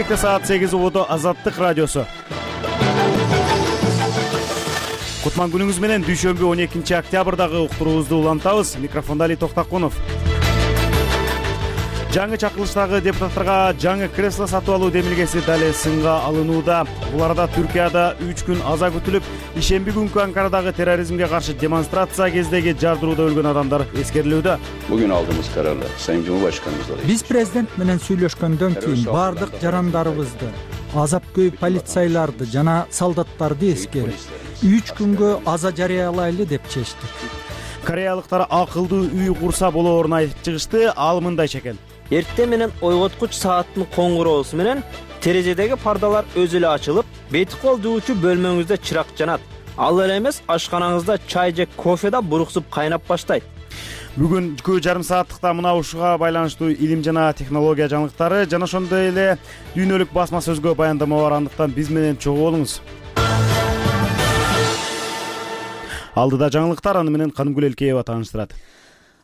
Бишкекте саат 8 убуду Азаттык радиосу. Кутман күнүңүз менен дүйшөмбү 12 октябрдагы уктуруубузду улантабыз. Микрофондо Али Токтакунов. Жаңы чакырылыштагы депутаттарга жаңы кресло сатып алуу демилгеси дале сынга алынууда. Буларда Түркияда 3 күн аза күтүлүп, ишемби күнкү Анкарадагы терроризмге каршы демонстрация кездеги жардырууда өлгөн адамдар эскерилүүдө. Bugün aldığımız kararla Sayın Cumhurbaşkanımızla Биз президент менен сүйлөшкөндөн кийин бардык жарандарыбызды, азап-көй полицайларды жана солдаттарды эскерип, 3 күнгө аза жарыялайлы деп чечтик. Кореялыктар акылдуу үй курса болоорун айтып чыгышты. Ал мындайча экен. Эртең менен ойготкуч сааттын коңгуроосу менен терезедеги пардалар өзү эле ачылып, бети кол жуучу бөлмөңүздө чырак жанат. Ал эле эмес, ашканаңызда чай же кофе да буруксуп кайнап баштайт. Бүгүн 2,5 сааттыкта мына ушуга байланыштуу илим жана технология жаңылыктары жана ошондой эле дүйнөлүк басма сөзгө баяндама бар. Андыктан биз менен чогуу болуңуз. Алдыда жаңылыктар, аны менен Канымгүл Элкеева тааныштырат.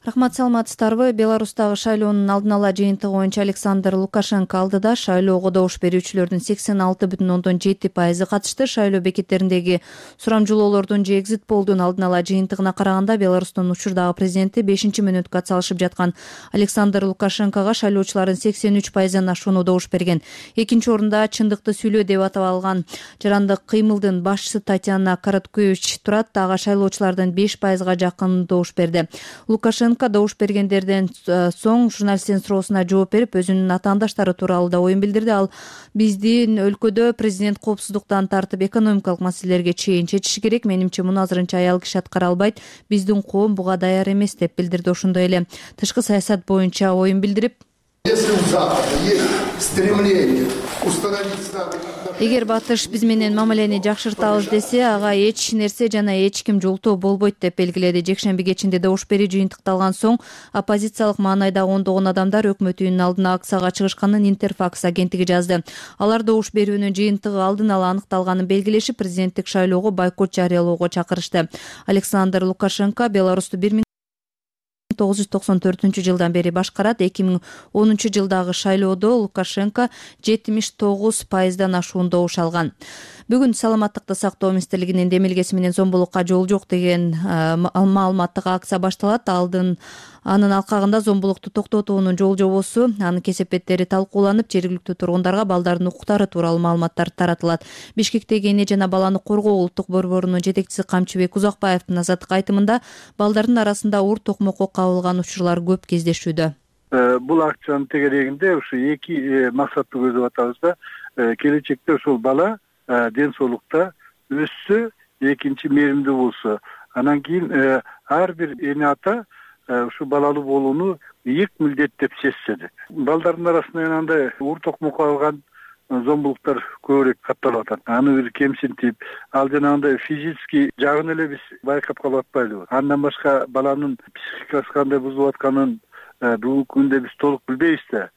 Рахмат, саламатсыздарбы? Беларустагы шайлоонун алдын ала жыйынтыгы боюнча Александр Лукашенко алдыда. Шайлоого добуш берүүчүлөрдүн 86,7% катышты. Шайлоо бекеттериндеги сурамжылоолордун же экзит полдун алдын ала жыйынтыгына караганда Беларустун учурдагы президенти 5-мүнөткө атсалышып жаткан Александр Лукашенкого шайлоочулардын 83%-дан ашууну добуш берген. Экинчи орунда чындыкты сүйлөө деп аталган жарандык кыймылдын башчысы Татьяна Короткевич турат. Ага шайлоочулардын 5%-га жакын добуш берди. Лукашенко добуш бергендерден соң журналисттин суроосуна жооп берип, өзүнүн атаандаштары тууралуу да оюн билдирди. Ал биздин өлкөдө президент коопсуздуктан тартып экономикалык маселелерге чейин чечиши керек. Менимче муну азырынча аял киши аткара албайт. Биздин коом буга даяр эмес деп билдирди. Ошондой эле тышкы саясат боюнча оюн билдирип, эгер батыш биз менен мамилени жакшыртабыз десе, ага эч нерсе жана эч ким жолтоо болбойт деп белгиледи. Жекшемби кечинде добуш берүү жыйынтыкталган соң оппозициялык маанайда ондогон адамдар өкмөт үйүнүн алдына акцияга чыгышканын Интерфакс агенттиги жазды. Алар добуш берүүнүн жыйынтыгы алдын ала аныкталганын белгилешип, президенттик шайлоого бойкот жарыялоого чакырышты. Александр Лукашенко Беларусту 1994 бери башкарат. 2010 жылдагы шайлоодо Лукашенко 79%-дан ашуун добуш алган. Бүгүн саламаттыкты сактоо министрлигинин демилгеси менен зомбулукка жол жок деген маалыматтык акция башталат. Анын алкагында зомбулукту токтотуунун жол жобосу, анын кесепеттери талкууланып, жергиликтүү тургундарга балдардын укуктары тууралуу маалыматтар таратылат. Бишкектеги эне жана баланы коргоо улуттук борборунун жетекчиси Камчыбек Узакбаевдин азаттык айтымында балдардын арасында ур токмокко кабылган учурлар көп кездешүүдө. Бул акциянын тегерегинде ушу эки максатты көздөп атабыз да. Келечекте ушул бала ден соолукта өссө, экинчи мээримдүү болсо, анан кийин ар бир эне ата ушу балалуу болууну ийик милдет деп сезсе. Балдардын арасында андай ур токмокко алган зомбулуктар көбүрөөк катталып атат. Аны бир кемсинтип, ал жанагындай физический жагын эле биз байкап калып атпайлыбы? Андан башка баланын психикасы кандай бузулуп атканын бүгүнкү күндө биз толук билбейбиз да.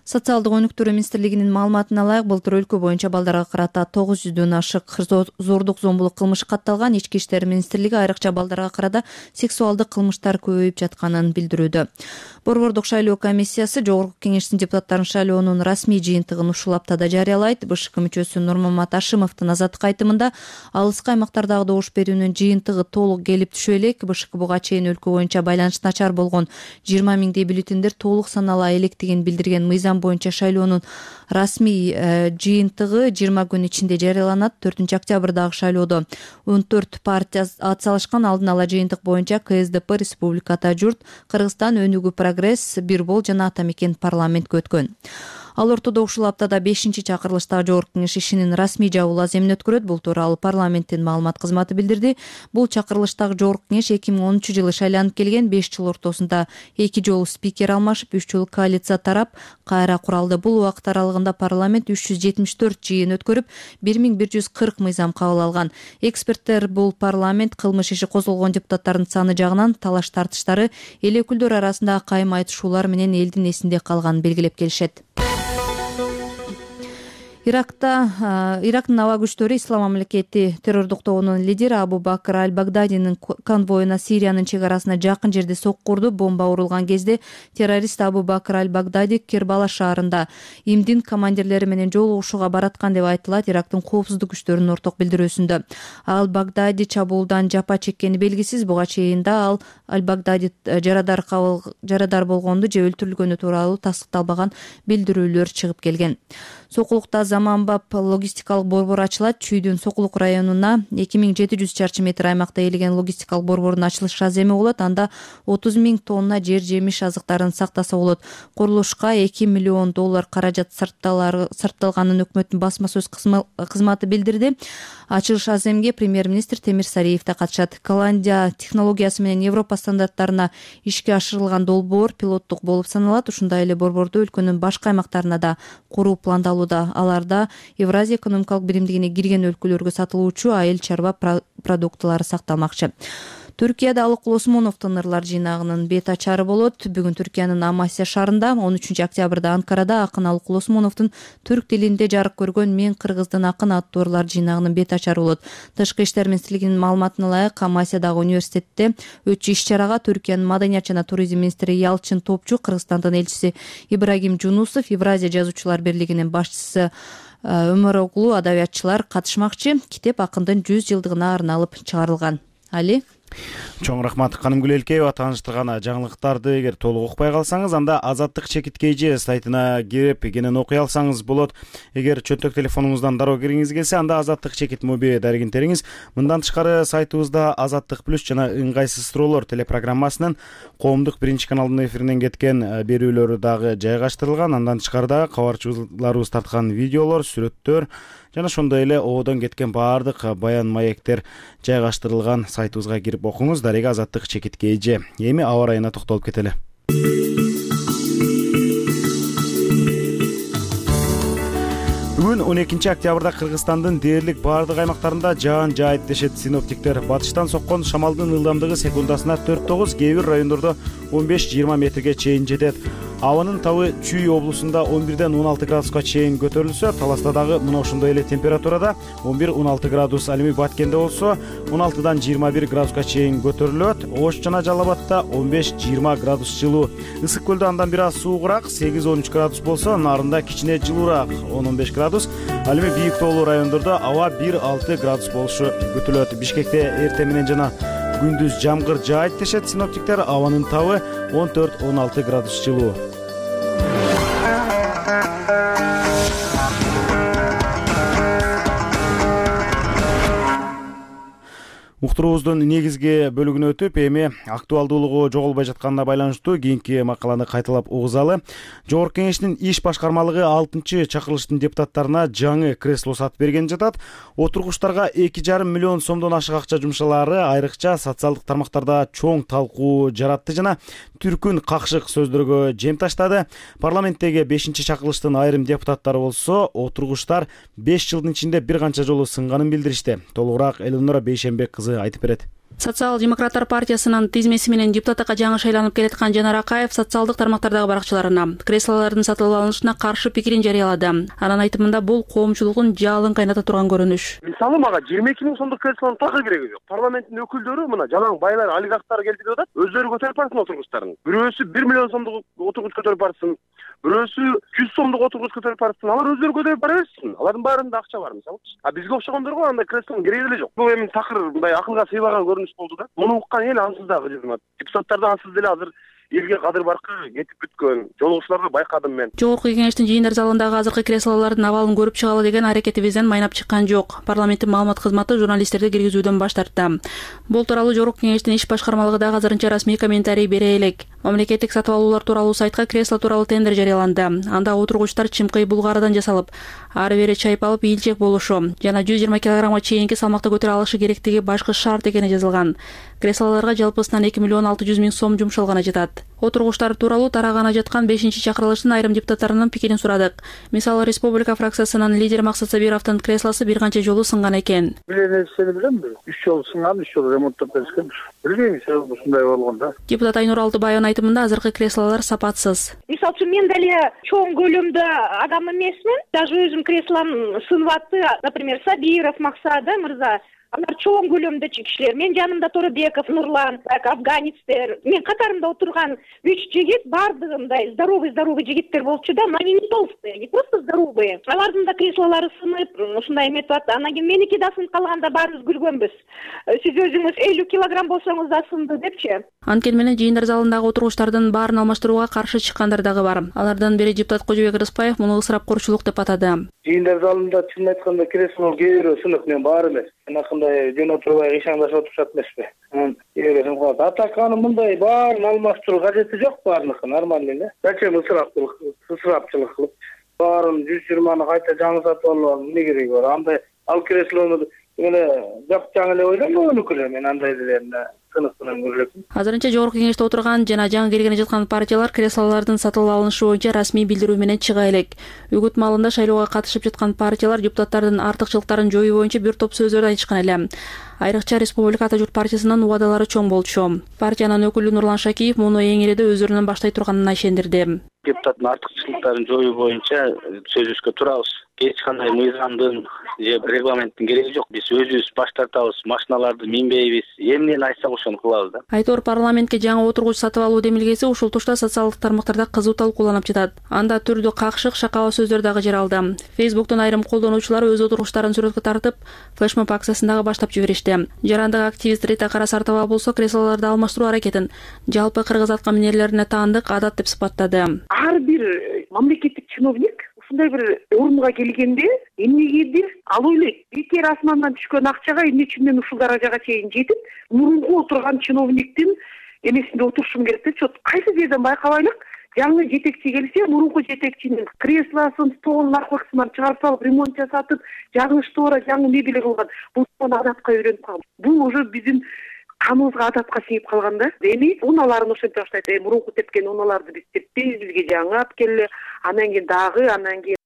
Социалдык өнүктүрүү министрлигинин маалыматына ылайык, былтыр өлкө боюнча балдарга карата 900дөн ашык зордук зомбулук кылмышы катталган. Ички иштер министрлиги айрыкча балдарга карата сексуалдык кылмыштар көбөйүп жатканын билдирүүдө. Борбордук шайлоо комиссиясы Жогорку Кеңештин депутаттарын шайлоонун расмий жыйынтыгын ушул аптада жарыялайт. БШК мүчөсү Нурмамат Ашимовдун азаттык айтымында алыскы аймактардагы добуш берүүнүн жыйынтыгы толук келип түшө элек. БШК буга чейин өлкө боюнча байланыш начар болгон 20 миңдей бюллетендер толук санала электигин билдирген. Мыйзам боюнча шайлоонун расмий жыйынтыгы 20 күн ичинде жарыяланат. 4 октябрдагы шайлоодо 14 партия атсалышкан. Алдын ала жыйынтык боюнча КСДП, Республика Ата журт, Кыргызстан, Өнүгүү Прогресс, Бирбол жана Ата мекен парламентке өткөн. Ал ортодо ушул аптада 5-чакырылыштагы Жогорку Кеңеш ишинин расмий жабуу аземин өткөрөт. Бул тууралуу парламенттин маалымат кызматы билдирди. Бул чакырылыштагы Жогорку Кеңеш 2013-жылы шайланып келген. 5 жыл ортосунда 2 жолу спикер алмашып, 3 жолу коалиция тарап кайра куралды. Бул убакыт аралыгында парламент 374 жыйын өткөрүп, 1140 мыйзам кабыл алган. Эксперттер бул парламент кылмыш иши козголгон депутаттардын саны жагынан талаш тартыштары, эл өкүлдөрү арасында кайым айтышуулар менен элдин эсинде калганын белгилеп келишет. Ирактын аба күчтөрү Ислам мамлекети террордук тобунун лидери Абу Бакр аль-Багдадинин конвоюна Сириянын чек арасына жакын жерде сокку урду. Бомба урулган кезде террорист Абу Бакр аль-Багдади Кербала шаарында ИМДин командирлери менен жолугушууга бараткан деп айтылат Ирактын коопсуздук күчтөрүнүн орток билдирүүсүндө. Аль-Багдади чабуулдан жапа чеккени белгисиз. Буга чейин да аль-Багдади жарадар болгонду же өлтүрүлгөнү тууралуу тастыкталбаган билдирүүлөр чыгып келген. Сокулукта заманбап логистикалык борбор ачылат. Чүйдүн Сокулук районуна 2700 чарчы метр аймакта ээлеген логистикалык борбордун ачылыш аземи болот. Анда 30 000 тонна жер жемиш азыктарын сактаса болот. Курулушка $2 миллион каражат сарпталганын өкмөттүн басма сөз кызматы билдирди. Ачылыш аземге премьер-министр Темир Сариев да катышат. Голландия технологиясы менен Европа стандарттарына ишке ашырылган долбоор пилоттук болуп саналат. Ушундай эле борборду өлкөнүн башка аймактарына да куруу пландалууда. Аларда Евразия экономикалык биримдигине кирген өлкөлөргө сатылуучу айыл чарба продуктылары сакталмакчы. Түркияда Алыкул Осмоновдун ырлар жыйнагынын бет ачары болот. Бүгүн Түркиянын Амасия шаарында 13 октябрда Анкарада акын Алыкул Осмоновдун түрк тилинде жарык көргөн Мен кыргыздын акын аттуу ырлар жыйнагынын бет ачары болот. Тышкы иштер министрлигинин маалыматына ылайык, Амасиядагы университетте өтчү иш-чарага Түркиянын маданият жана туризм министри Ялчин Топчу, Кыргызстандын элчиси Ибрагим Жунусов, Евразия жазуучулар бирлигинин башчысы Өмөрөглу адабиятчылар катышмакчы. Китеп акындын 100 жылдыгына арналып чыгарылган. Али Чоң рахмат Канымгүл Элкеева. Тааныштырган жаңылыктарды эгер толук укпай калсаңыз, анда Азаттык чекиткейжи сайтына кирип кенен окуй алсаңыз болот. Эгер чөнтөк телефонуңуздан дароо киргиңиз келсе, анда Азаттык чекит моби дарегин териңиз. Мындан тышкары сайтыбызда Азаттык плюс жана ыңгайсыз суроолор телепрограммасынын коомдук биринчи каналынын эфиринен кеткен берүүлөрү дагы жайгаштырылган. Андан тышкары дагы кабарчыларыбыз тарткан видеолор, сүрөттөр жана ошондой эле ободон кеткен баардык баян маектер жайгаштырылган сайтыбызга кирип окуңуз. Дареги Азаттык чекиткейжи. Эми аба ырайына токтолуп кетели. Бүгүн 12 октябрда Кыргызстандын дээрлик баардык аймактарында жаан жаайт дешет синоптиктер. Батыштан соккон шамалдын ылдамдыгы секундасына 4-9, кээ бир райондордо 15-20 метрге чейин жетет. Абанын табы Чүй облусунда 11-ден 16 градуска чейин көтөрүлсө, Таласта дагы мына ошондой эле температурада 11-16 градус, ал эми Баткенде болсо 16-дан 21 градуска чейин көтөрүлөт. Ош жана Жалал Абадта 15-20 градус жылуу. Ысык көлдө андан бир аз суугураак 8-13 градус болсо, Нарында кичине жылуураак 10-15 градус. Ал эми бийик тоолуу райондордо аба 1-6 градус болушу күтүлөт. Бишкекте эртең менен жана күндүз жамгыр жаайт дешет синоптиктер. Абанын табы 14-16 градус жылуу. Уктуруубуздун негизги бөлүгүнө өтүп, эми актуалдуулугу жоголбой жатканына байланыштуу кийинки макаланы кайталап угузалы. Жогорку Кеңештин иш башкармалыгы 6-чы чакырылыштын депутаттарына жаңы кресло сатып берген жатат. Отургучтарга 2,5 миллион сомдон ашык акча жумшалаары айрыкча социалдык тармактарда чоң талкуу жаратты жана түркүн какшык сөздөргө жем таштады. Парламенттеги 5-чы чакырылыштын айрым депутаттары болсо, отургучтар 5 жылдын ичинде бир канча жолу сынганын билдиришти. Толугураак Элнура Бейшенбек кызы айтып берет. Социал-демократтар партиясынын тизмеси менен депутатка жаңы шайланып келаткан Жанар Акаев социалдык тармактардагы баракчыларына креслолордун сатылып алынышына каршы пикирин жарыялады. Анын айтымында бул коомчулуктун жалын кайната турган көрүнүш. Мисалы мага 22 000 сомдук креслонун такы кереги жок. Парламенттин өкүлдөрү мына жалаң байлар, олигархтар келтирип атат. Өздөрү көтөрүп барсын отургучтарын. Бирөөсү 1 миллион сомдук отургуч көтөрүп барсын. Бирөөсү 100 сомдук отургуч көтөрүп барсын. Алар өздөрү көтөрүп бара берсин. Алардын баарында акча бар мисалы. Бизге окшогондорго андай креслонун кереги эле жок. Бул эми такыр мындай акылга сыйбаган көрүнүш болду да. Муну уккан эл ансыз дагы депутаттар да ансыз деле азыр элге кадыр баркы кетип бүткөн. Жолугучуларды байкадым мен. Жогорку Кеңештин жыйындар залындагы азыркы креслолордун абалын көрүп чыгалы деген аракетибизден майнап чыккан жок. Парламенттин маалымат кызматы журналисттерди киргизүүдөн баш тартты. Бул тууралуу Жогорку Кеңештин иш башкармалыгы дагы азырынча расмий комментарий бере элек. Мамлекеттик сатып алуулар тууралуу сайтка кресло тууралуу тендер жарыяланды. Анда отургучтар чымкый булгарыдан жасалып, ары бери чайпалып ийилчек болушу жана 120 килограммга чейинки салмакта көтөрө алышы керектиги башкы шарт экени жазылган. Креслолорго жалпысынан 2 600 000 сом жумшалганы жатат. Отургучтар тууралуу тарагана жаткан 5-чакырылыштын айрым депутаттарынын пикирин сурадык. Мисалы, Республика фракциясынын лидери Максат Сабировдун креслосу бир канча жолу сынган экен. Билесени билемби? 3 жолу сынган, 3 жолу ремонттоп беришкен. Билбейм, себеби ушундай болгондо. Депутат Айнур Алтыбаевдын айтымында азыркы креслолор сапатсыз. Мисалы үчүн мен деле чоң көлөмдө адам эмесмин. Даже өзүм креслом сынып атты. Например, Сабиров Максат мырза. Алар чоң көлөмдө кишилер. Мен жанымда Торобеков, Нурлан, Афганецтер. Мен катарымда отурган 3 жигит бардыгы мындай здоровый жигиттер болчу да, но они не толстые, не просто здоровые. Алардын да креслолору сынып, ушундай эметип атты. Анан кийин меники да сынып калганда баарыбыз күлгөнбүз. Сиз өзүңүз 50 килограмм болсоңуз да сынды депчи. Анткени менен жыйындар залындагы отургучтардын баарын алмаштырууга каршы чыккандар дагы бар. Алардын бири депутат Кожобек Рыспаев муну ысырапкорчулук деп атады. Жыйындар залында чын айтканда кресло кээ бирөө сынып, мен баары эмес. Анакындай жөн отурбай ишаңдашып отурушат эмеспи. Атаканы мындай баарын алмаштыруу кажети жок, баарыныкы нормальный эле. Зачем ысырапчылык кылып баарын 120-ны кайта жаңы сатып алып эмне кереги бар? Андай ал креслону эле жапчаң эле ойлонбогонуку эле, мен андай делерне сынып менен көрөмүн. Азырынча жогорку кеңеште отурган жана жаңы келгени жаткан партиялар креслолордун сатылып алынышы боюнча расмий билдирүү менен чыга элек. Үгүт маалында шайлоого катышып жаткан партиялар депутаттардын артыкчылыктарын жоюу боюнча бир топ сөздөрдү айтышкан эле. Айрыкча Республика Ата журт партиясынын убадалары чоң болчу. Партиянын өкүлү Нурлан Шакиев муну эң эле өздөрүнөн баштай турганына ишендирди. Депутаттын артыкчылыктарын жоюу боюнча сөзүбүзгө турабыз. Эч кандай мыйзамдын же регламенттин кереги жок. Биз өзүбүз баш тартабыз, машиналарды минбейбиз. Эмнени айтсак ошону кылабыз да. Айтор парламентке жаңы отургуч сатып алуу демилгеси ушул тушта социалдык тармактарда кызуу талкууланып жатат. Анда түрдүү какшык, шакала сөздөр дагы жер алды. Facebook'тун айрым колдонуучулары өз отургучтарын сүрөткө тартып, флешмоб акциясын дагы баштап жиберишти. Жарандык активист Рита Карасартова болсо креслолорду алмаштыруу аракетин жалпы кыргыз атка минерлерине таандык адат деп сыпаттады. Ар бир мамлекеттик чиновник ушундай бир орунга келгенде эмнегедир ал ойлойт, бекер асмандан түшкөн акчага эмне үчүн мен ушул даражага чейин жетип, мурунку отурган чиновниктин эмесинде отурушум керек депчи. Кайсы жерден байкабайлык, жаңы жетекчи келсе, мурунку жетекчинин креслосын, столун, аркылысын чыгарып салып, ремонт жасатып, жаңы штора, жаңы мебель кылган. Бул адатка үйрөнүп калды. Бул уже биздин каныбызга адатка сиңип калган да. Эми уналарын ошентип баштайт. Мурунку тепкен уналарды биз теппейбиз, бизге жаңы алып келе. Анан кийин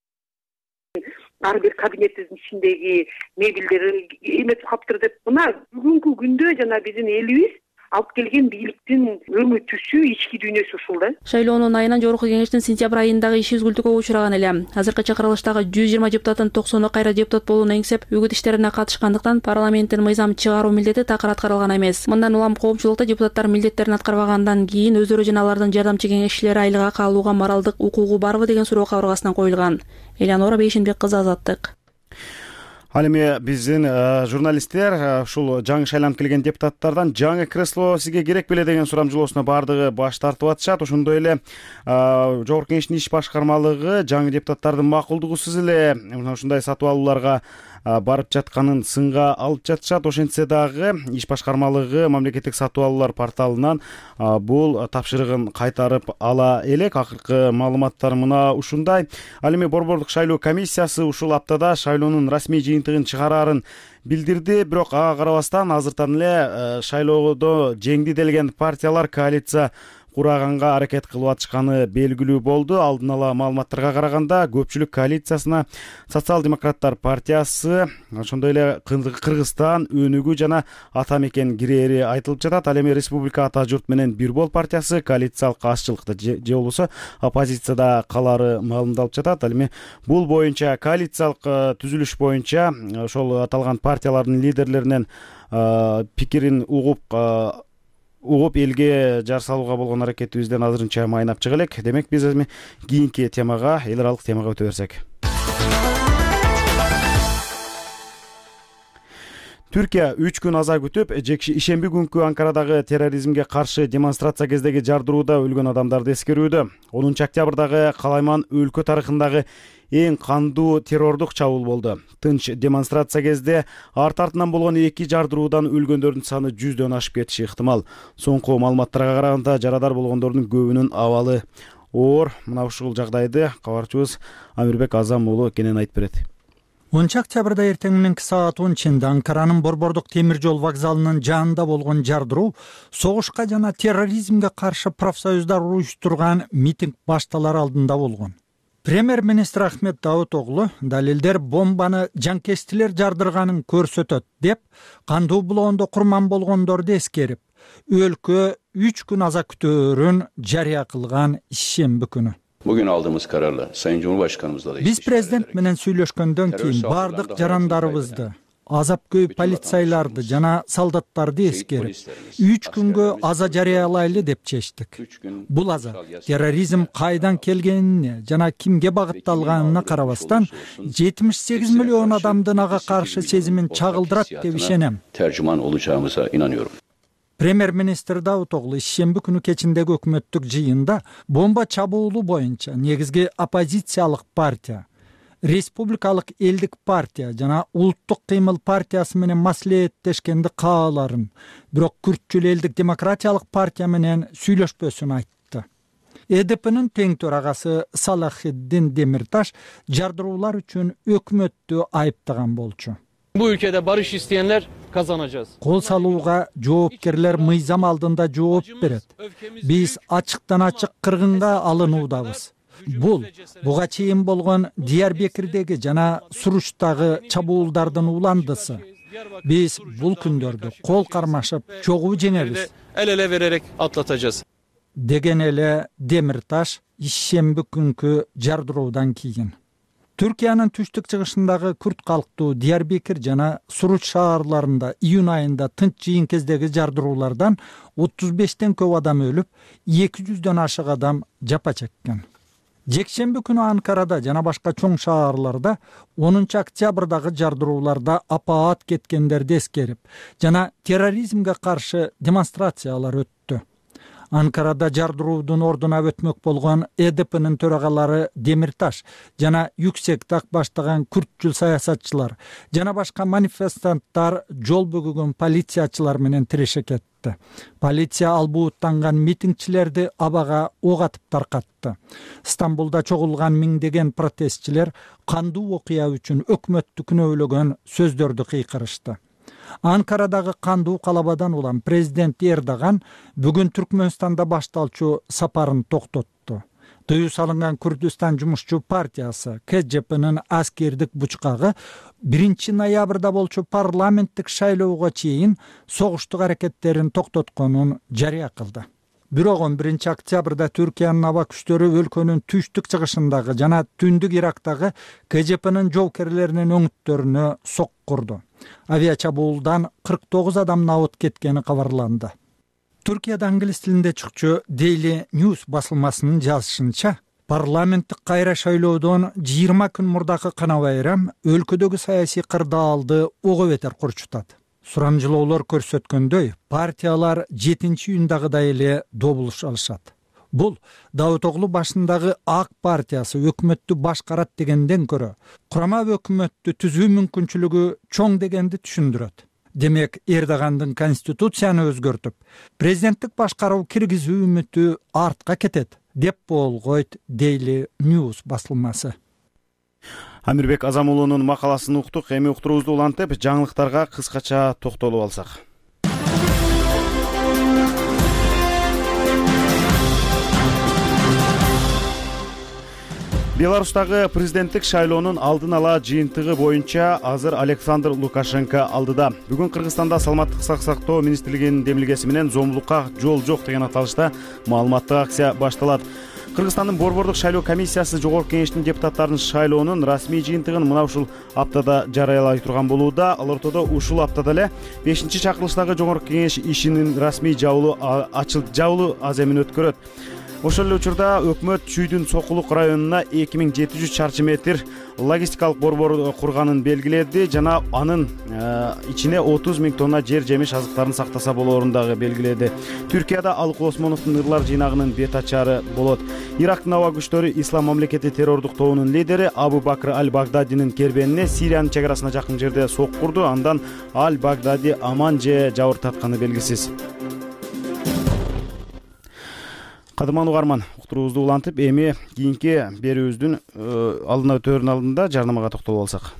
ар бир кабинетибиздин ичиндеги мебелдер эметип калыптыр деп. Мына бүгүнкү күндө жана биздин элибиз алып келген бийликтин өңү түсү, ички дүйнөсү ушул да. Шайлоонун айынан жогорку кеңештин сентябрь айындагы иши үзгүлтүккө учураган эле. Азыркы чакырылыштагы 120 депутаттын 90-у кайра депутат болууну эңсеп, үгүт иштерине катышкандыктан парламенттин мыйзам чыгаруу милдети такыр аткарылган эмес. Мындан улам коомчулукта депутаттар милдеттерин аткарбагандан кийин өздөрү жана алардын жардамчы кеңешчилери айлык акы алууга моралдык укугу барбы деген суроо кабыргасынан коюлган. Элеонора Бейшенбек кызы, Азаттык. Ал эми биздин журналисттер ушул жаңы шайланып келген депутаттардан жаңы кресло сизге керек беле деген сурамжылоосуна баардыгы баш тартып атышат. Ошондой эле жогорку кеңештин иш башкармалыгы жаңы депутаттардын макулдугусуз эле ушундай сатып алууларга барып жатканын сынга алып жатышат. Ошентсе дагы иш башкармалыгы мамлекеттик сатып алуулар порталынан бул тапшырыгын кайтарып ала элек. Акыркы маалыматтар мына ушундай. Ал эми Борбордук шайлоо комиссиясы ушул аптада шайлоонун расмий жыйынтыгын чыгарарын билдирди. Бирок ага карабастан азыртан эле шайлоодо жеңди делген партиялар коалиция кураганга аракет кылып атышканы белгилүү болду. Алдын ала маалыматтарга караганда көпчүлүк коалициясына Социал-демократтар партиясы, ошондой эле Кыргызстан, Өнүгүү жана Ата мекен кирээри айтылып жатат. Ал эми Республика Ата журт менен Бир бол партиясы коалициялык каршылыкта же болбосо оппозицияда калары маалымдалып жатат. Ал эми бул боюнча коалициялык түзүлүш боюнча ошол аталган партиялардын лидерлеринен пикирин угуп элге жар салууга болгон аракетибизден азырынча майнап чыга элек. Демек биз эми кийинки темага, эл аралык темага өтө берсек. Түркия 3 күн аза күтүп, ишемби күнкү Анкарадагы терроризмге каршы демонстрация кездеги жардырууда өлгөн адамдарды эскерүүдө. 10 октябрдагы калайман өлкө тарыхындагы эң кандуу террордук чабуул болду. Тынч демонстрация кезде арт-артынан болгон 2 жардыруудан өлгөндөрдүн саны 100дөн ашып кетиши ыктымал. Соңку маалыматтарга караганда жарадар болгондордун көбүнүн абалы оор. Мына ушул жагдайды кабарчыбыз Амирбек Азам уулу кенен айтып берет. 10 эртең мененки саат 10 Анкаранын Борбордук темир жол вокзалынын жанында болгон жардыруу согушка жана терроризмге каршы профсоюздар уюштурган митинг башталар алдында болгон. Премьер-министр Ахмет Давутоглу далилдер бомбаны жанкечтилер жардырганын көрсөтөт деп, кандуу булоондо курман болгондорду эскерип, өлкө 3 күн аза күтөөрүн жарыя кылган ишемби күнү. Bugün aldığımız kararla Sayın Cumhurbaşkanımızla da Биз президент менен сүйлөшкөндөн кийин бардык жарандарыбызды, азап-көй полицайларды жана солдаттарды эскерип, 3 күнгө аза жарыялайлы деп чечтик. Бул аза терроризм кайдан келгенине жана кимге багытталганына карабастан 78 миллион адамдын ага каршы сезимин чагылдырат деп ишенем. tercüman olacağımıza inanıyorum. Премьер-министр Давутоглу ишемби күнү кечиндеги өкмөттүк жыйында бомба чабуулу боюнча негизги оппозициялык партия, Республикалык элдик партия жана Улуттук кыймыл партиясы менен маслихеттешкенди кааларын, бирок күртчүл элдик демократиялык партия менен сүйлөшпөсүн айтты. ЭДПнын тең төрагасы Салахиддин Демирташ жардыруулар үчүн өкмөттү айыптаган болчу. Bu ülkede barış isteyenler kazanacağız. Кол салууга жоопкерлер мыйзам алдында жооп берет. Биз ачыктан ачык кыргынга алынуудабыз. Буга чейин болгон Диярбекирдеги жана Суручтагы чабуулдардын уландысы. Биз бул күндөрдү кол кармашып чогуу жеңебиз. El ele vererek atlatacağız. Деген эле Демирташ ишемби күнкү жардыруудан кийин. Түркиянын түштүк чыгышындагы күрт калктуу Диярбекир жана Суруч шаарларында июнь айында тынч жыйын кездеги жардыруулардан 35тен көп адам өлүп, 200дөн ашык адам жапа чеккен. Жекшемби күнү Анкарада жана башка чоң шаарларда 10 октябрдагы жардырууларда апаат кеткендерди эскерип жана терроризмге каршы демонстрациялар өттү. Анкарада жардыруудун ордуна өтмөк болгон ЭДПнын төрагалары Демирташ жана Yüksek Так баштаган күртчүл саясатчылар жана башка манифестанттар жол бөгөгөн полициячылар менен тиреше кетти. Полиция албууттанган митингчилерди абага ок атып таркатты. Стамбулда чогулган миңдеген протестчилер кандуу окуя үчүн өкмөттү күнөөлөгөн сөздөрдү кыйкырышты. Анкарадагы кандуу калабадан улам президент Эрдоган бүгүн Түркмөнстанда башталчу сапарын токтотту. Тыюу салынган Күрдүстан жумушчу партиясы КЖПнын аскердик бучкагы 1 ноябрда болчу парламенттик шайлоого чейин согуштук аракеттерин токтотконун жарыя кылды. Бирок 11 октябрда Түркиянын аба күчтөрү өлкөнүн түштүк чыгышындагы жана түндүк Ирактагы КЖПнын жоокерлеринин өңүттөрүнө сок курду. Авиачабуулдан 49 адам набыт кеткени кабарланды. Түркияда англис тилинде чыкчу Daily News басылмасынын жазышынча, парламенттик кайра шайлоодон 20 күн мурдакы кана байрам өлкөдөгү саясий кырдаалды ого бетер курчутат. Сурамжылоолор көрсөткөндөй, партиялар 7-июндагыдай эле добулуш алышат. Бул Давутоглу башындагы ак партиясы өкмөттү башкарат дегенден көрө, курама өкмөттү түзүү мүмкүнчүлүгү чоң дегенди түшүндүрөт. Демек, Эрдогандын конституцияны өзгөртүп, президенттик башкаруу киргизүү үмүтү артка кетет, деп болгойт Daily News басылмасы. Амирбек Азамулунун макаласын уктук. Эми уктуруубузду улантып, жаңылыктарга кыскача токтолуп алсак. Беларустагы президенттик шайлоонун алдын ала жыйынтыгы боюнча азыр Александр Лукашенко алдыда. Бүгүн Кыргызстанда саламаттык сактоо министрлигинин демилгеси менен зомбулукка жол жок деген аталышта маалыматтык акция башталат. Кыргызстандын Борбордук шайлоо комиссиясы Жогорку Кеңештин депутаттарын шайлоонун расмий жыйынтыгын мына ушул аптада жарыялай турган болууда. Ал ортодо ушул аптада эле 5-чакырылыштагы Жогорку Кеңеш ишинин расмий жабылуу аз эмин өткөрөт. Ошол эле учурда өкмөт Чүйдүн Сокулук районуна 2700 чарчы метр логистикалык борбор курганын белгиледи жана анын ичине 30 000 тонна жер жемиш азыктарын сактаса болоорун дагы белгиледи. Түркияда Алык Осмоновдун ырлар жыйнагынын бет ачары болот. Ирактын аба күчтөрү Ислам мамлекети террордук тобунун лидери Абу Бакр Аль-Багдадинин кербенине Сириянын чек арасына жакын жерде сок курду. Андан Аль-Багдади аман же жабыр тартканы белгисиз. Кадырман угарман, уктуруубузду улантып, эми кийинки берүүбүздүн алдына өтөөрүнүн алдында жарнамага токтолуп алсак.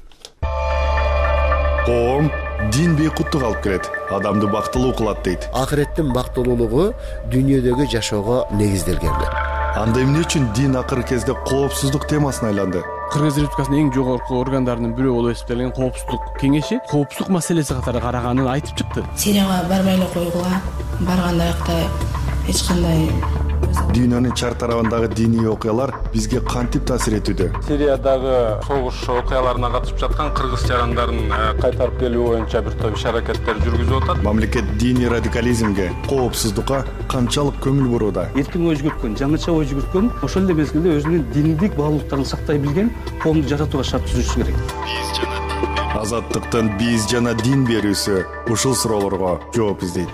коом дин бейкуттук алып келет, адамды бактылуу кылат дейт. Акыреттин бактылуулугу дүйнөдөгү жашоого негизделген. Анда эмне үчүн дин акыркы кезде коопсуздук темасына айланды? Кыргыз Республикасынын эң жогорку органдарынын бирөө болуп эсептелген коопсуздук кеңеши коопсуздук маселеси катары караганын айтып чыкты. Сирияга барбай эле койгула, барганда аякта эч кандай Дүйнөнүн чар тарабындагы диний окуялар бизге кантип таасир этүүдө? Сириядагы согуш окуяларына катышып жаткан кыргыз жарандарын кайтарып келүү боюнча бир топ иш-аракеттер жүргүзүп атат. Мамлекет диний радикализмге, коопсуздукка канчалык көңүл бурууда? Эркин ой жүгүрткөн, жаңыча ой жүгүрткөн, ошол эле мезгилде өзүнүн диндик баалуулуктарын сактай билген коомду жаратууга шарт түзүшү керек. Азаттыктын биз жана дин берүүсү ушул суроолорго жооп издейт.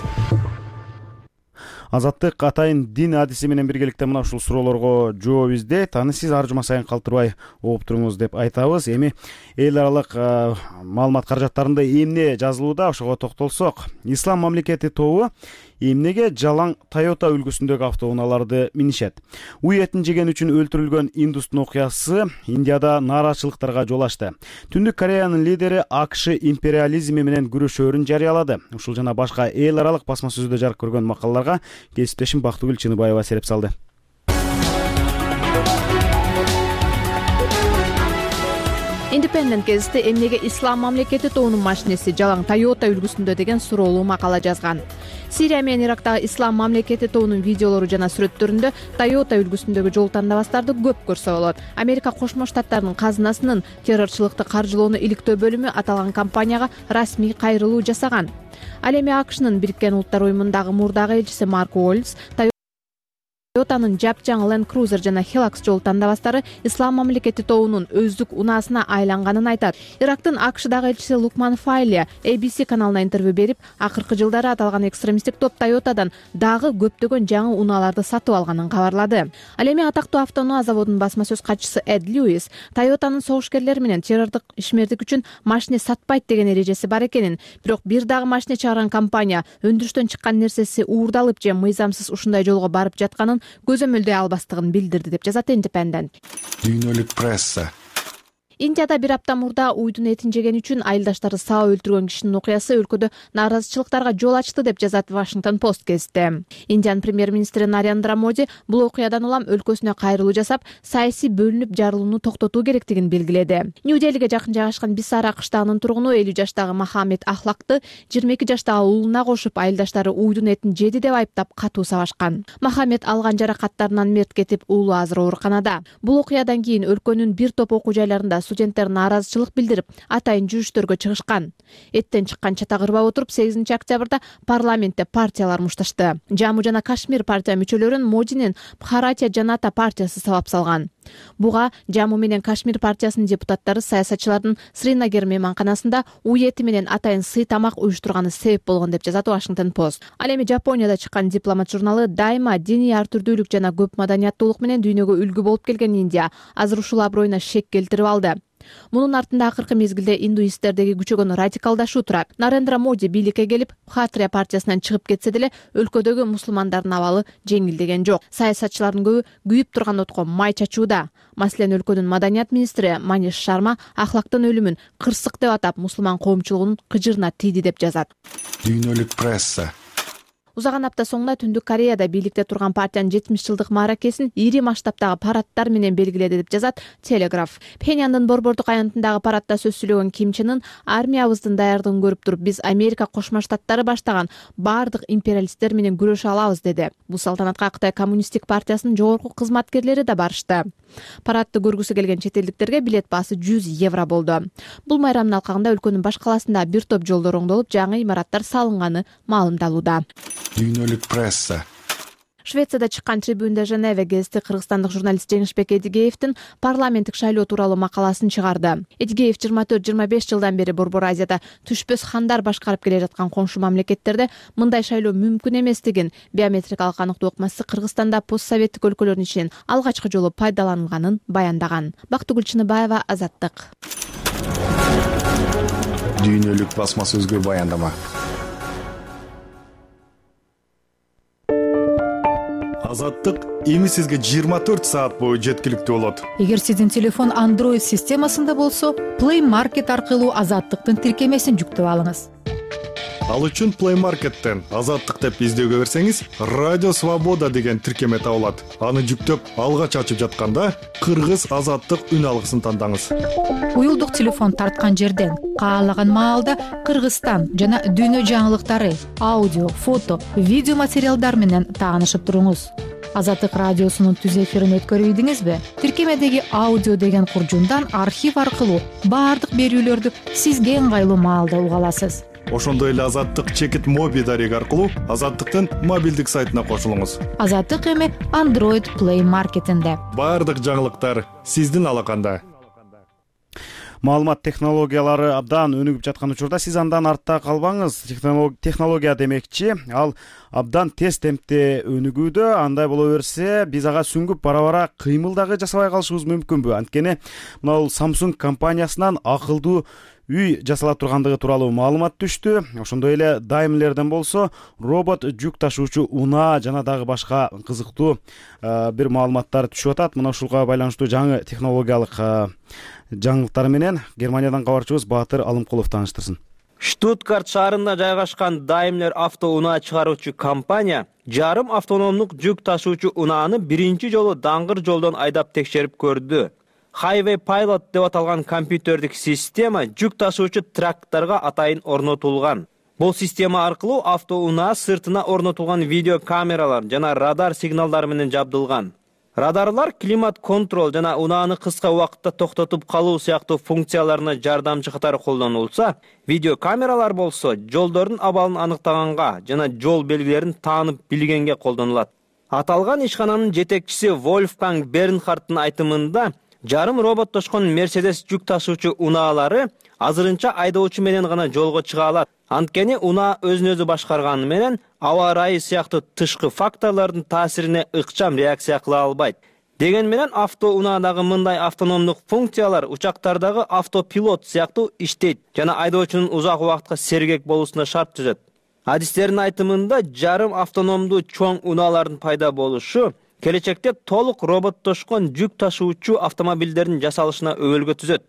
Азаттык атайын дин адиси менен биргеликте мына ушул суроолорго жооп издейт. Аны сиз ар жума сайын калтырбай окуп туруңуз деп айтабыз. Эми эл аралык маалымат каражаттарында эмне жазылууда, ошого токтолсок. Ислам мамлекети тобу эмнеге жалаң Toyota үлгүсүндөгү автоунааларды минишет? Уй этин жеген үчүн өлтүрүлгөн индустун окуясы Индияда нааразычылыктарга жол ачты. Түндүк Кореянын лидери АКШ империализми менен күрөшөөрүн жарыялады. Ушул жана башка эл аралык басма сөздө жарык көргөн макалаларга кесиптешим Бактыгүл Чыныбаева сереп салды. Independent гезити эмнеге ислам мамлекети тобунун машинеси жалаң Toyota үлгүсүндө деген суроолуу макала жазган. Сирия менен Ирактагы ислам мамлекети тобунун видеолору жана сүрөттөрүндө Toyota үлгүсүндөгү жол тандабастарды көп көрсө болот. Америка Кошмо Штаттарынын казынасынын террорчулукты каржылоону иликтөө бөлүмү аталган компанияга расмий кайрылуу жасаган. Ал эми АКШнын Бириккен Улуттар уюмундагы мурдагы элчиси Марк Уоллс Toyota'нын жапжаң Land Cruiser жана Hilux жол тандабастары ислам мамлекети тобунун өздүк унаасына айланганын айтат. Ирактын АКШдагы элчиси Лукман Файли ABC каналына интервью берип, акыркы жылдары аталган экстремисттик топ Toyota'дан дагы көптөгөн жаңы унааларды сатып алганын кабарлады. Ал эми атактуу автоунаа заводунун басма сөз катчысы Эд Льюис Toyota'нын согушкерлер менен террордук ишмердик үчүн машине сатпайт деген эрежеси бар экенин, бирок бир дагы машине чыгарган компания өндүрүштөн чыккан нерсеси уурдалып же мыйзамсыз ушундай жолго барып жатканын көзөмөлдөй албастыгын билдирди деп жазат Independent. Дүйнөлүк пресса. Индияда бир апта мурда уйдун этин жеген үчүн айылдаштары саап өлтүргөн кишинин окуясы өлкөдө нааразычылыктарга жол ачты деп жазат Washington Post гезити. Индиянын премьер-министри Нарендра Моди бул окуядан улам өлкөсүнө кайрылуу жасап, саясий бөлүнүп жарылууну токтотуу керектигин белгиледи. Нью-Делиге жакын жайгашкан Бисара кыштагынын тургуну 50 жаштагы Мохаммед Ахлакты 22 жаштагы уулуна кошуп айылдаштары уйдун этин жеди деп айыптап катуу сабашкан. Мохаммед алган жаракаттарынан мерт кетип, уулу азыр ооруканада. Бул окуядан кийин өлкөнүн бир топ окуу жайларында студенттер нааразычылык билдирип, атайын жүрүштөргө чыгышкан. Эттен чыккан чата кырбай отуруп 8 октябрда парламентте партиялар мушташты. Жамму жана Кашмир партия мүчөлөрүн Модинин Бхаратия Жаната партиясы сабап салган. Буга Жамму менен Кашмир партиясынын депутаттары саясатчылардын Сринагер мейманканасында уй эти менен атайын сый тамак уюштурганы себеп болгон деп жазат Washington Post. Ал эми Жапонияда чыккан Дипломат журналы дайыма диний ар түрдүүлүк жана көп маданияттуулук менен дүйнөгө үлгү болуп келген Индия азыр ушул аброюна шек келтирип алды. Мунун артында акыркы мезгилде индуисттердеги күчөгөн радикалдашуу турат. Нарендра Моди бийликке келип, Бхаратия партиясынан чыгып кетсе деле, өлкөдөгү мусулмандардын абалы жеңилдеген жок. Саясатчылардын көбү күйүп турган отко май чачууда. Маселен, өлкөнүн маданият министри Маниш Шарма Ахлактын өлүмүн кырсык деп атап, мусулман коомчулугунун кыжырына тийди деп жазат. Дүйнөлүк пресса. Узаган апта соңуна Түндүк Кореяда бийликте турган партиянын 70 жылдык мааракесин ири масштабтагы парадтар менен белгиледи деп жазат Телеграф. Пхеньяндын борбордук аянтындагы парадта сөз сүйлөгөн Ким Чен Ын армиябыздын даярдыгын көрүп туруп, биз Америка Кошмо Штаттары баштаган баардык империалисттер менен күрөшө алабыз деди. Бул салтанатка Кытай коммунисттик партиясынын жогорку кызматкерлери да барышты. Парадты көргүсү келген чет элдиктерге билет баасы 100 евро болду. Бул майрамдын алкагында өлкөнүн баш каласында бир топ жолдор оңдолуп, жаңы имараттар салынганы маалымдалууда. Дүйнөлүк пресса. Швецияда чыккан Tribune de Geneve гезити кыргызстандык журналист Жеңишбек Эдигеевдин парламенттик шайлоо тууралуу макаласын чыгарды. Эдигеев 24-25 жылдан бери Борбор Азияда түшпөс хандар башкарып келе жаткан коңшу мамлекеттерде мындай шайлоо мүмкүн эместигин, биометрикалык аныктоо ыкмасы Кыргызстанда постсоветтик өлкөлөрдүн ичинен алгачкы жолу пайдаланылганын баяндаган. Бактыгүл Чыныбаева, Азаттык. Дүйнөлүк басма сөзгө баяндама. Азаттык эми сизге 24 саат бою жеткиликтүү болот. Эгер сиздин телефон Android системасында болсо, Play Market аркылуу Азаттыктын тиркемесин жүктөп алыңыз. Ал үчүн Play Market'тен Азаттык деп издөөгө берсеңиз, Радио Свобода деген тиркеме табылат. Аны жүктөп, алгач ачып жатканда Кыргыз Азаттык үн алгысын тандаңыз. Уюлдук телефон тарткан жерден каалаган маалда Кыргызстан жана дүйнө жаңылыктары, аудио, фото, видео материалдар менен таанышып туруңуз. Азаттык радиосунун түз эфирин өткөрүйдүңүзбү? Тиркемедеги аудио деген куржундан архив аркылуу баардык берүүлөрдү сизге ыңгайлуу маалда уга аласыз. Ошондой эле Азаттык чекит моби дареги аркылуу Азаттыктын мобилдик сайтына кошулуңуз. Азаттык эми Android Play Market'инде. Баардык жаңылыктар сиздин алаканда. Маалымат технологиялары абдан өнүгүп жаткан учурда сиз андан артта калбаңыз. Технология демекчи, ал абдан тез темпте өнүгүүдө. Андай боло берсе, биз ага сүңгүп бара-бара кыймыл дагы жасабай калышыбыз мүмкүнбү? Анткени мына Samsung компаниясынан акылдуу үй жасала тургандыгы тууралуу маалымат түштү. Ошондой эле Daimlerден болсо робот жүк ташуучу унаа жана дагы башка кызыктуу бир маалыматтар түшүп атат. Мына ушуга байланыштуу жаңы технологиялык жаңылыктар менен Германиядан кабарчыбыз Баатыр Алымкулов тааныштырсын. Штутгарт шаарында жайгашкан Daimler авто унаа чыгаруучу компания жарым автономдук жүк ташуучу унааны биринчи жолу даңгыр жолдон айдап текшерип көрдү. Highway Pilot деп аталган компьютердик система жүк ташуучу тракторго атайын орнотулган. Бул система аркылуу авто унаа сыртына орнотулган видео камералар жана радар сигналдары менен жабдылган. Радарлар климат контрол жана унааны кыска убакытта токтотуп калуу сыяктуу функцияларына жардамчы катары колдонулса, видео камералар болсо жолдордун абалын аныктаганга жана жол белгилерин таанып билгенге колдонулат. Аталган ишкананын жетекчиси Вольфганг Бернхардтын айтымында, жарым роботтошкон Mercedes жүк ташуучу унаалары азырынча айдоочу менен гана жолго чыга алат. Анткени унаа өзүн-өзү башкарганы менен аба ырайы сыяктуу тышкы факторлордун таасирине ыкчам реакция кыла албайт. Деген менен авто унаадагы мындай автономдук функциялар учактардагы автопилот сыяктуу иштейт жана айдоочунун узак убакытка сергек болуусуна шарт түзөт. Адистердин айтымында жарым автономдуу чоң унаалардын пайда болушу келечекте толук роботтошкон жүк ташуучу автомобилдердин жасалышына өбөлгө түзөт.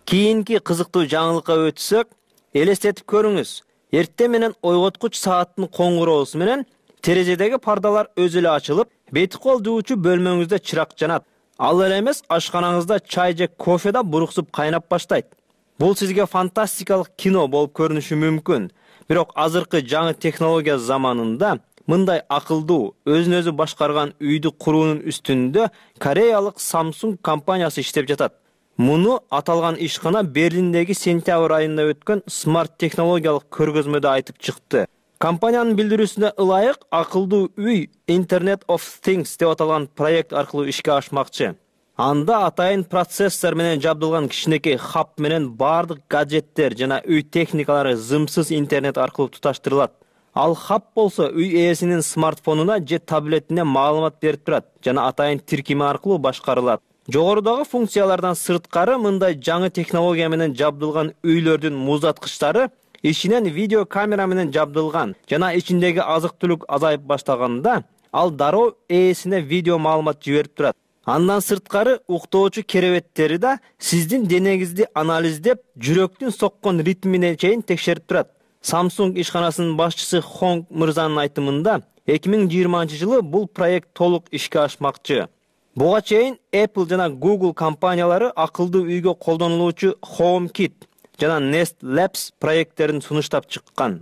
Кийинки кызыктуу жаңылыкка өтсөк, элестетип көрүңүз. Эртең менен ойготкуч сааттын коңгуроосу менен терезедеги пардалар өзү эле ачылып, бети кол жуучу бөлмөңүздө чырак жанат. Ал эле эмес, ашканаңызда чай же кофе да буруксуп кайнап баштайт. Бул сизге фантастикалык кино болуп көрүнүшү мүмкүн. Бирок азыркы жаңы технология заманында мындай акылдуу, өзүн-өзү башкарган үйдү куруунун үстүндө Кореялык Samsung компаниясы иштеп жатат. Муну аталган ишкана Берлиндеги сентябрь айында өткөн смарт технологиялык көргөзмөдө айтып чыкты. Компаниянын билдирүүсүнө ылайык, акылдуу үй Internet of Things деп аталган проект аркылуу ишке ашмакчы. Анда атайын процессор менен жабдылган кичинекей хаб менен бардык гаджеттер жана үй техникалары зымсыз интернет аркылуу туташтырылат. Ал хаб болсо үй ээсинин смартфонуна же таблетине маалымат берип турат жана атайын тиркеме аркылуу башкарылат. Жогорудагы функциялардан сырткары мындай жаңы технология менен жабдылган үйлөрдүн муздаткычтары ичинен видео камера менен жабдылган жана ичиндеги азык-түлүк азайып баштаганда ал дароо ээсине видео маалымат жиберип турат. Андан сырткары уктоочу керебеттери да сиздин денеңизди анализдеп, жүрөктүн соккон ритмине чейин текшерип турат. Samsung ишканасынын башчысы Хонг мырзанын айтымында 2020-жылы бул проект толук ишке ашмакчы. Буга чейин Apple жана Google компаниялары акылдуу үйгө колдонулуучу HomeKit жана Nest Labs проекттерин сунуштап чыккан.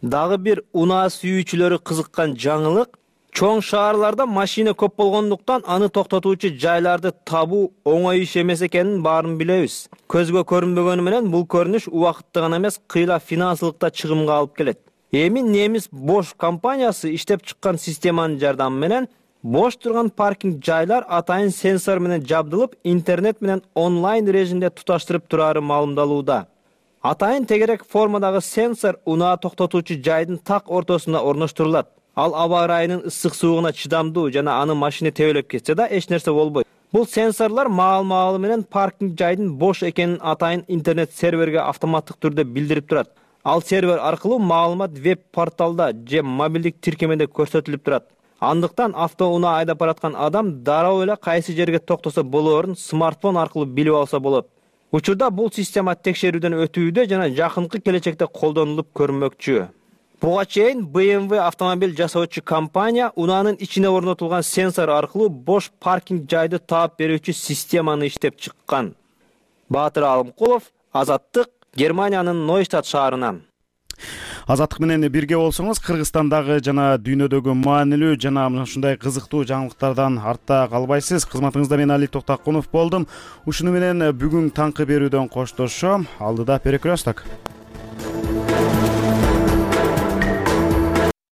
Дагы бир унаа сүйүүчүлөрү кызыккан жаңылык, чоң шаарларда машина көп болгондуктан аны токтотуучу жайларды табуу оңой иш эмес экенин баарын билебиз. Көзгө көрүнбөгөнү менен бул көрүнүш убакытты гана эмес, кыйла финансылыкта чыгымга алып келет. Эми немис Bosch компаниясы иштеп чыккан системанын жардамы менен бош турган паркинг жайлар атайын сенсор менен жабдылып, интернет менен онлайн режимде туташтырып турары маалымдалууда. Атайын тегерек формадагы сенсор унаа токтотуучу жайдын так ортосуна орноштурулат. Ал аба ырайынын ысык суугуна чыдамдуу жана аны машина тебелеп кетсе да эч нерсе болбойт. Бул сенсорлор маал менен паркинг жайдын бош экенин атайын интернет серверге автоматтык түрдө билдирип турат. Ал сервер аркылуу маалымат веб-порталда же мобилдик тиркемеде көрсөтүлүп турат. Андыктан автоунаа айдап бараткан адам дароо эле кайсы жерге токтосо болоорун смартфон аркылуу билип алса болот. Учурда бул система текшерүүдөн өтүүдө жана жакынкы келечекте колдонулуп көрүнмөкчү. Буга чейин BMW автомобиль жасоочу компания унаанын ичине орнотулган сенсор аркылуу бош паркинг жайды таап берүүчү системаны иштеп чыккан. Баатыр Алымкулов, Азаттык, Германиянын Нойштадт шаарынан. Азаттык менен бирге болсоңуз, Кыргызстандагы жана дүйнөдөгү маанилүү жана ушундай кызыктуу жаңылыктардан артта калбайсыз. Кызматыңызда мен Али Токтакунов болдум. Ушуну менен бүгүн таңкы берүүдөн коштошом. Алдыда перекресток.